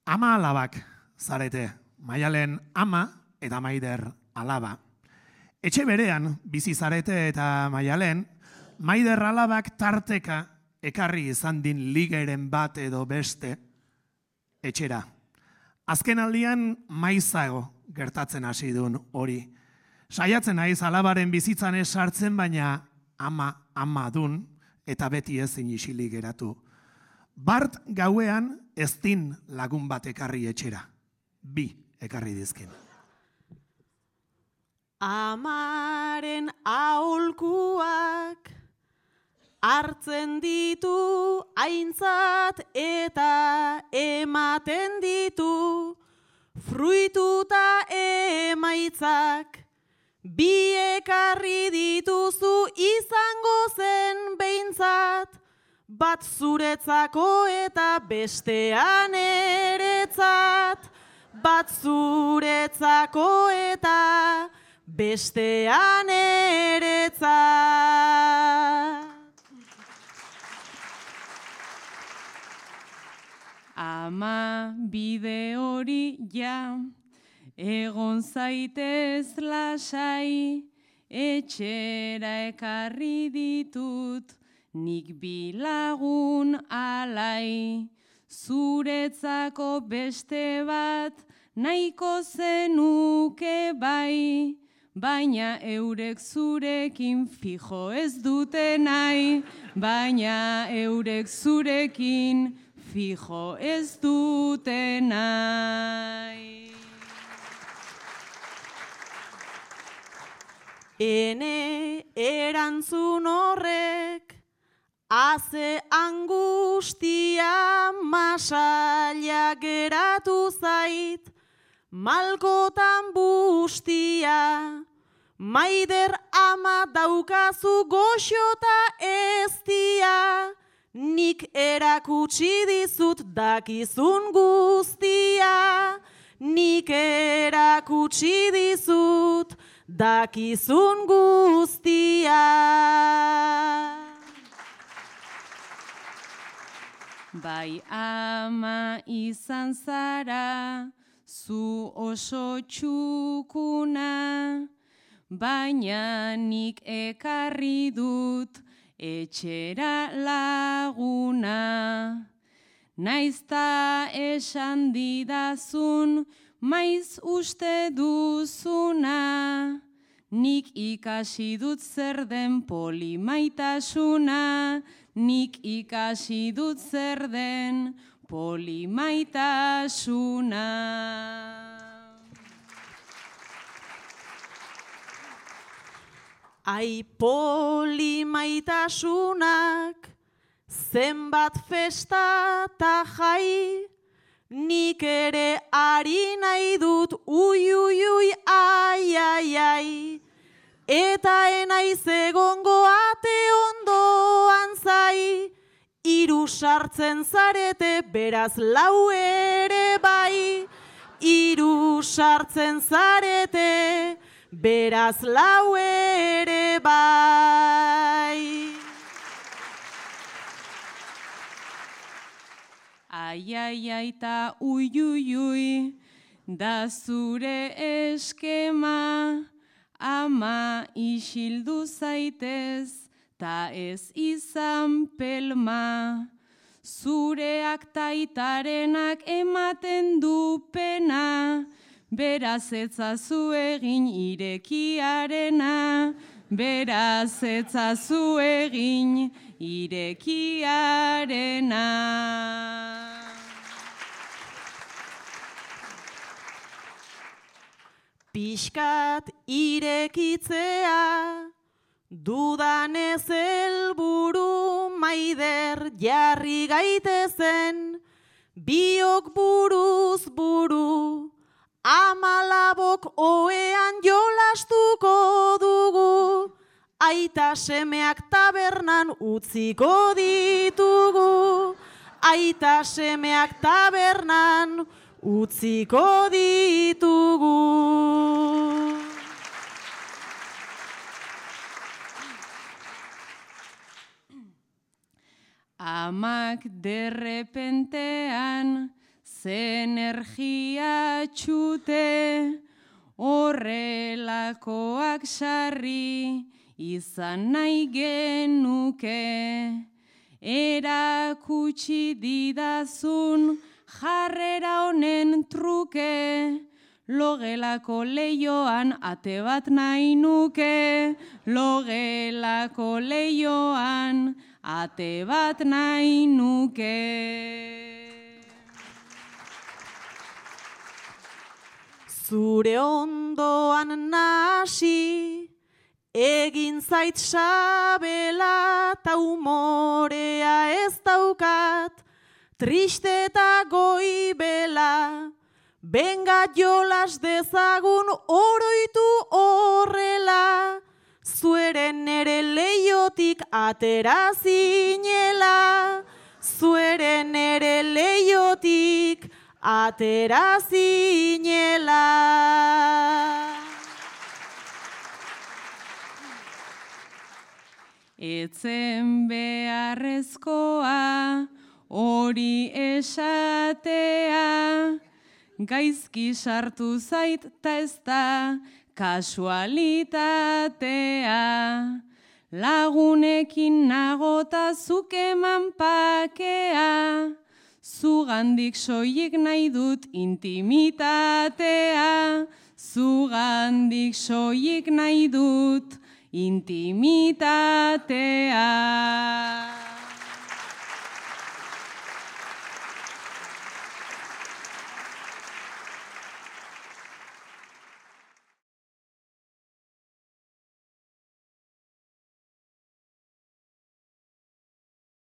Ama alabak zarete, Maialen ama eta Maider alaba. Etxe berean bizi zarete eta Maialen, Maider alabak tarteka ekarri izan din ligeren bat edo beste etxera. Azken aldian maizago gertatzen hasi duen hori. Saiatzen naiz alabaren bizitzan ez sartzen, baina ama dun eta beti ezin isilik geratu. Bart gauean ez din lagun bat ekarri etxera. 2 ekarri dizkin. Amaren aholkuak hartzen ditu aintzat eta ematen ditu fruituta emaitzak. 2 ekarri dituzu izango zen behintzat, bat zuretzako eta bestean eretzat. Bat zuretzako eta bestean eretzat. Ama bide hori ja, egon zaitez lasai, etxera ekarri ditut, nik 2 lagun alai. Zuretzako beste bat nahiko zenuke bai, baina eurek zurekin fijo ez dute nahi, baina eurek zurekin fijo ez dute nahi. Ene erantzun horrek haze angustia masaila geratu zait, malkotan bustia. Maider ama daukazu goxota eztia, nik erakutsi dizut dakizun guztia. Nik erakutsi dizut dakizun guztia. Bai ama izan zara, zu oso txukuna, baina nik ekarri dut etxera laguna. Naizta esan didazun, maiz uste duzuna, nik ikasi dut zer den polimaitasuna. Nik ikasi dut zer den polimaitasuna. Ai polimaitasunak zenbat festa ta jai, nik ere ari nahi dut ui ui ui ai ai ai. Eta enaiz egongo ate ondoan zai, 3 sartzen zarete beraz 4 ere bai. 3 sartzen zarete beraz 4 ere bai. Ai ai ai ta ui ui ui, da zure eskema. Ama isildu zaitez, ta ez izan pelma. Zureak taitarenak ematen du pena, beraz etzazu egin irekiarena. Beraz etzazu egin irekiarena. Pixkat irekitzea, dudanez helburu, Maider jarri gaitezen, biok buruz buru, amalabok oean jolastuko dugu, aita semeak tabernan utziko ditugu, aita semeak tabernan utziko ditugu. Amak derrepentean ze energia txute, horrelakoak sarri, izan nahi genuke. Erakutsi didazun jarrera honen truke, logelako leioan ate bat nahi nuke, logelako leioan ate bat nahi nuke. Zure ondoan nasi, egin zait sabela, ta umorea ez daukat, triste eta goibela, benga jolas dezagun oroitu horrela, zueren ere leiotik atera zinela, zueren ere leiotik atera zinela. Etzen beharrezkoa hori esatea, gaizki sartu zait ta ez da kasualitatea. Lagunekin nagota zuk eman pakea, zugandik soilik nahi dut intimitatea, zugandik soilik nahi dut intimitatea.